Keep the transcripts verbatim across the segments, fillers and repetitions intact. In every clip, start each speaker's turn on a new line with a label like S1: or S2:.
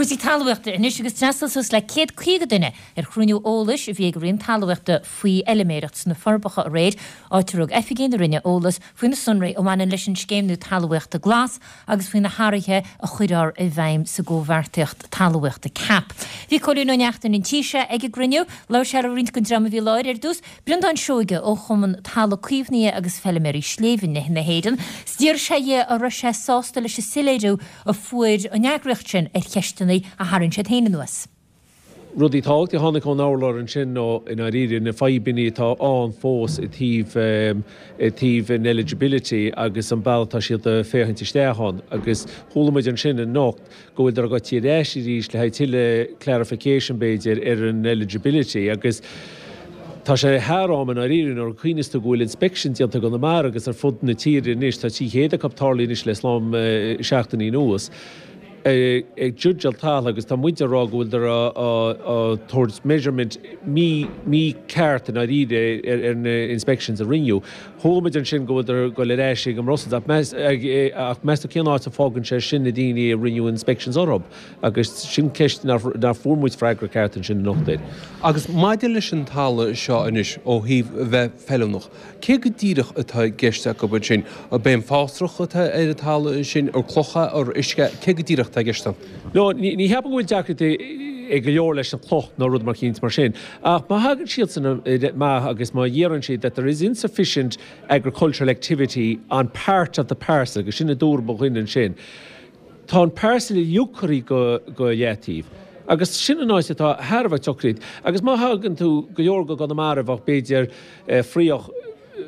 S1: Cúrsaí talmhaíochta anois agus d'fhreastail suas le céad caoga duine ar chruinniú eolais a bhí ag Roinn Talmhaíochta faoi fheilméireacht sna Forbacha aréir, áit a rug oifigigh na Roinne eolas faoi na sonraí a bhaineann leis an scéim nua talmhaíochta glas agus faoi na hathruithe a chuirfear i bhfeidhm sa gcomhbheartaíocht talmhaíochta CAP. Bhí Cóilín Ó Neachtain an tíse ag an gcruinniú, labhair sé le roinnt den dream a bhí i láthair ar dtús, Breandán Seoige ó Chumann Talamh Caomhnaithe agus Feilméaraí Sléibhe na hÉireann. D'iarr sé dhe an raibh sé sásta leis an soiléiriú a fuair an eagraíocht sin ar cheisteanna a tharraing siad féin anuas.
S2: Rudaí tábhachtacha a tháinig ón urlár ansin nó i ndáiríre na fadhbanna atá ann fós i dtaobh i dtaobh an eligibility agus an bealach atá siad ag féachaint isteach ann agus chuala muid ansin anocht go bhfuil ag goil ar ais arís le haghaidh tuilleadh clarification b'fhéidir ar an eligibility agus Tá sé thar am i ndáiríre nuair a chuimhníos tú go bhfuil inspection déanta i gConamara agus ar fud na tíre anois tá trí chéad acu tarlaithe anois le slám seachtainí anuas ag judgeáil talamh agus tá muid ag rá go bhfuil á tabhairt measurement mí mícheart i ndáiríre ar na inspections a rinneadh. Chuala muid ansin go bhfuil ag goil ar ais ag an mBrussels ach meas tú cén áit a fágann sé sin na daoine a rinneadh inspections orthu agus sin ceist nár fuair muid freagra ceart ansin anocht air.
S3: Agus maidir leis an talamh seo anois ó thaobh bheith feiliúnach, cé go díreach atá i gceist acu ansin? Ab é an fásrach atá ar an talamh sin, ar clocha, ar uisce, cé go díreach atá i gceist ann?
S2: No, ní cheapaim go bhfuil deacrachtaí ag go leor leis an chloch nó rud mar chinnt mar sin. Ach má thagann siadsan amach agus má dheireann siad that there is insufficient agricultural activity on part of the parcel, agus sin a dúirt mo dhuine ansin, tá an parcel uilig curtha go go leataobh. Agus sin an áit atá thar a bheith deacair. Agus má thagann tú go leor go Conamara bheadh b'fhéidir fraoch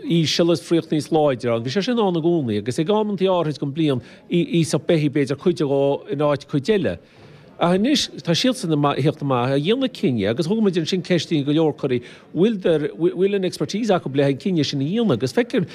S2: íseal is fraoch níos láidre ann. Bhí sé sin ann i gcónaí agus ag amantaí áirid den bliain íosfadh beithígh b'fhéidir cuid dhó in áit cuid eile. Ach anois tá siadsan ag theacht amach a dhéanamh cinneadh agus thug muid ansin ceisteanna go leor curtha bhfuil bhfuil an expertise acu le an cinneadh sin a dhéanamh agus feictear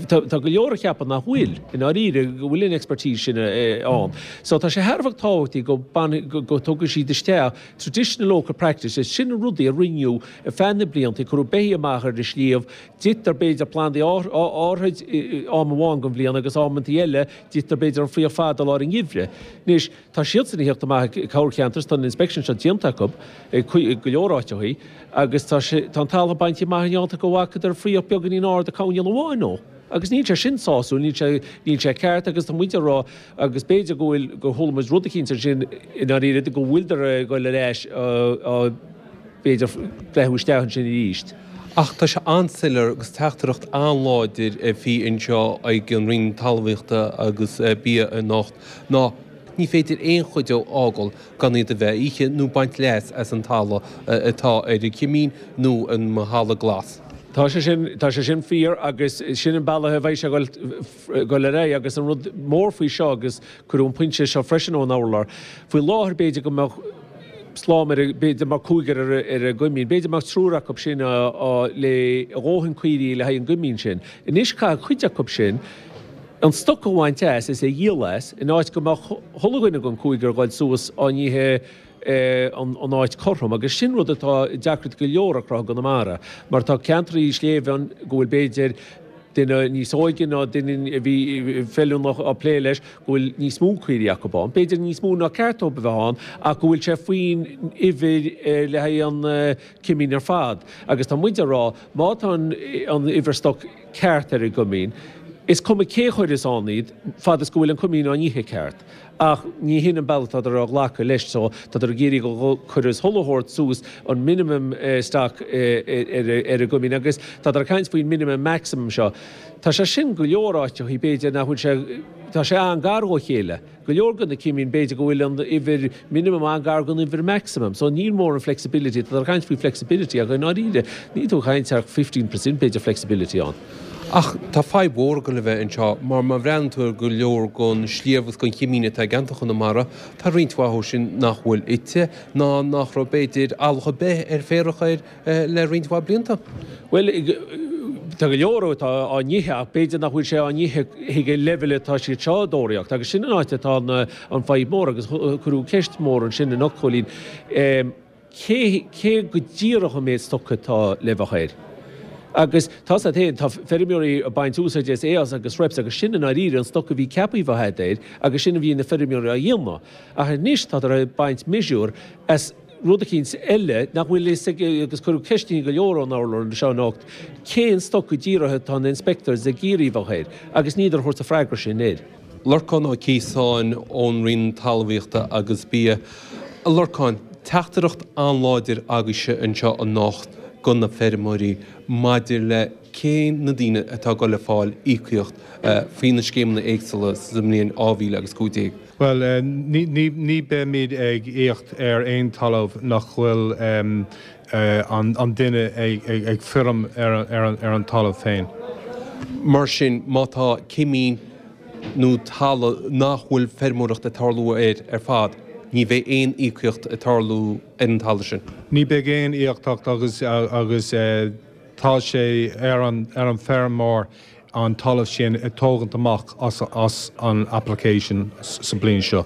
S2: tá go leor a cheapann nach bhfuil i ndáiríre go bhfuil an expertise sin ann. So tá sé thar a bheith tábhachtach go go dtugann siad isteach traditional local practices sin na rudaí a rinneadh ar feadh na blianta cuireadh beithígh amach ar an sliabh ditear b'fhéidir plandaí áirid am amháin den bhliain agus amantaí eile ditear b'fhéidir an fraoch fada lár an gheimhridh. Anois tá siadsan ag theacht amach ag corrcheantar tá an inspection seo déanta acu go leor áiteachaí agus tá sé tá an talamh bainte amach in áit go bhfacadar fraoch beagáinín ard coirnéal amháin ó. Agus níl sé sin sásúil, níl sé níl sé ceart agus tá muid ag rá agus b'fhéidir go bhfuil go chuala muid rud eicínt ansin i ndáiríre go bhfuiltear ag goil ar ais b'fhéidir breathnú isteach ansin arís.
S3: Ach tá sé an-soiléir agus teachtaireacht an-láidir a bhí anseo ag an Roinn Talmhaíochta agus Bia anocht ná ní féidir aon chuid a fhágáil gan iad a bheith ithe nó baint leas as an talamh atá ar an chimín nó an thalamh glas.
S2: Tá sé sin tá sé sin fíor agus sin an bealach a bheidh sé goil ar aghaidh agus an rud mór faoi seo agus cuireadh an pointe seo freisin ón urlár. Faoi láthair b'fhéidir go mbeadh slám ar b'fhéidir mar cúigear ar ar an gcoimín, b'fhéidir mbeadh triúr acu sin le dhóthain caoirigh le haghaidh an gcoimín sin. Anois caithfidh cuid acu sin an stoc a bhaint as is é dhíol as in áit go mbeadh chuile dhuine den cúigear goil suas á n-ithe an áit cothrom agus sin rud atá deacair go leor a chruthú i gConamara mar tá ceantraí sléibhe ann go bhfuil b'fhéidir duine níos óige ná duine a bhí feiliúnach á plé leis go bhfuil níos mó caoirigh acu ann. B'fhéidir níos mó ná ceart dóibh a bheith ann ach go bhfuil sé faoin uimhir le haghaidh an cimín ar fad. Agus tá muid ag rá má tá an uimhir stoc ceart ar an gcoimín, is cuma cé chuireas ann iad fad is go bhfuil an coimín á n-ithe ceart. Ach ní hin an bealach atá á ghlacadh leis so tá ag iarraidh go cuireas chuile shórt suas an minimum stock ar an gcoimín agus tá ag caint faoin minimum maximum seo. Tá sé sin go leor áiteachaí b'fhéidir nach bhfuil sé tá sé an-gar ó chéile. Go leor de na cimín b'fhéidir go bhfuil an uimhir minimum an-gar don uimhir maximum. So níl mórán flexibility tá ag caint faoi flexibility ach i ndáiríre ní tú caint ach fifteen percent b'fhéidir flexibility ann.
S3: Ach tá fadhb mhór ag dul a bheith anseo, mar má bhreathnaíonn tú ar go leor den sliabh agus den chimín atá i gceantar Chonamara, tá roinnt mhaith dhó sin nach bhfuil ite, ná nach raibh b'fhéidir eallach ar bith ar féarach air le roinnt mhaith blianta.
S2: Bhuel, tá go leor atá á n-ithe ach b'fhéidir nach bhfuil sé á n-ithe chuig an leibhéal atá siad seo ag tóraíocht agus sin an áit atá an fadhb mhór agus cuireadh ceist mhór ansin anocht, Cóilín. Cé cé go díreach an méid stoc atá le bheith air? Agus tá a fhios agat, tá feirmeoirí ag baint úsáid as eas agus rape agus sin i ndáiríre an stoc a bhí ceaptha a bheith air agus sin a bhí na feirmeoirí á dhéanamh. Ach anois tádar ag baint miosúr as rud eicínt eile nach bhfuil fhios ag agus cuireadh ceisteanna go leor ón urlár anseo anocht, cén stoc go díreach atá na inspectors ag iarraidh bheith air agus níltear ag tabhairt an freagra sin air.
S3: Lorcán Ó Ciosáin ón Roinn Talmhaíochta agus Bia. A Lorcáin, teachtaireacht an-láidir agaibhse anseo anocht go na feirmeoirí maidir le cé na daoine atá ag dul le fáil íocaíocht faoi na scéimeanna éagsúla sa mbliain dhá mhíle agus cúig déag.
S4: Bhuel, ní, ní, ní beimid ag íoc ar aon talamh nach bhfuil an, an duine ag, ag, ag feirm ar, ar, an, ar an talamh féin.
S3: Mar sin, má tá cimín nó talamh nach bhfuil feirmeoireacht ag tarlú air ar fad, ní bheidh aon íocaíocht ag tarlú ar an talamh sin.
S4: Ní bheidh aon íocaíocht agus, agus tá sé ar an, ar an feirmeoir an talamh sin a tógaint amach as, as an application sa bliain seo.